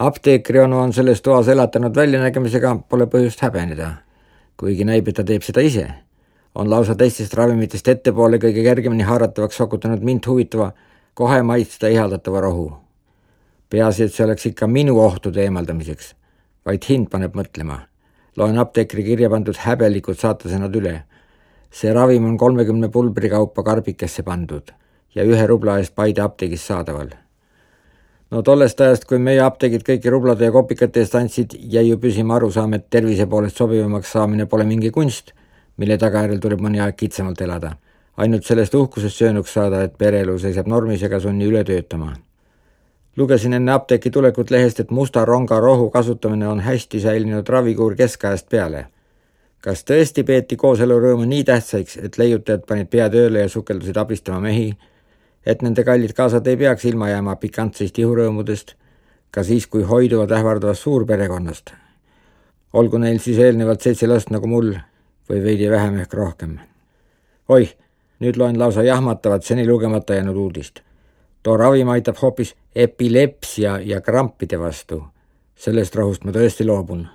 Apteekri onu on selles toas elatanud väljanägemisega, pole põhjust häbeneda, kuigi näib, et ta teeb seda ise. On lausa teistest ravimitest ettepoole kõige kergemini haaratavaks sokutanud mind huvitava, kohe maitsta ihaldatava rohu. Peaasi, et see oleks ikka minu ohtude eemaldamiseks, vaid hind paneb mõtlema. Loen apteekri kirja pandud häbelikud saatasõnad üle. See ravim on 30 pulbri kaupa karbikesse pandud ja 1 rubla eest Paide apteegis saadaval. No tollest ajast, kui meie apteegid kõiki rublade ja kopikate eest andsid, jäi ju püsima arusaam, et tervise poolest sobivamaks saamine pole mingi kunst, mille tagajärjel tuleb mõni aeg kitsamalt elada. Ainult sellest uhkusest söönuks saada, et pereelu seisab normis ega sunni üle töötama. Lugesin enne apteeki tulekut lehest, et musta ronga rohu kasutamine on hästi säilinud ravikuur keskajast peale. Kas tõesti peeti kooselurõõmu nii tähtsaiks, et leiutajad panid pea tööle ja sukeldusid abistama mehi, et nende kallid kaasad ei peaks ilma jääma pikantseist ihurõõmudest, ka siis, kui hoiduvad ähvardavast suurperekonnast. Olgu neil siis eelnevalt 7 last nagu mul või veidi vähem ehk rohkem. Oih, nüüd loen lausa jahmatavat seni lugemata jäänud uudist. Too ravim aitab hoopis epilepsia ja krampide vastu. Sellest rohust ma tõesti loobun.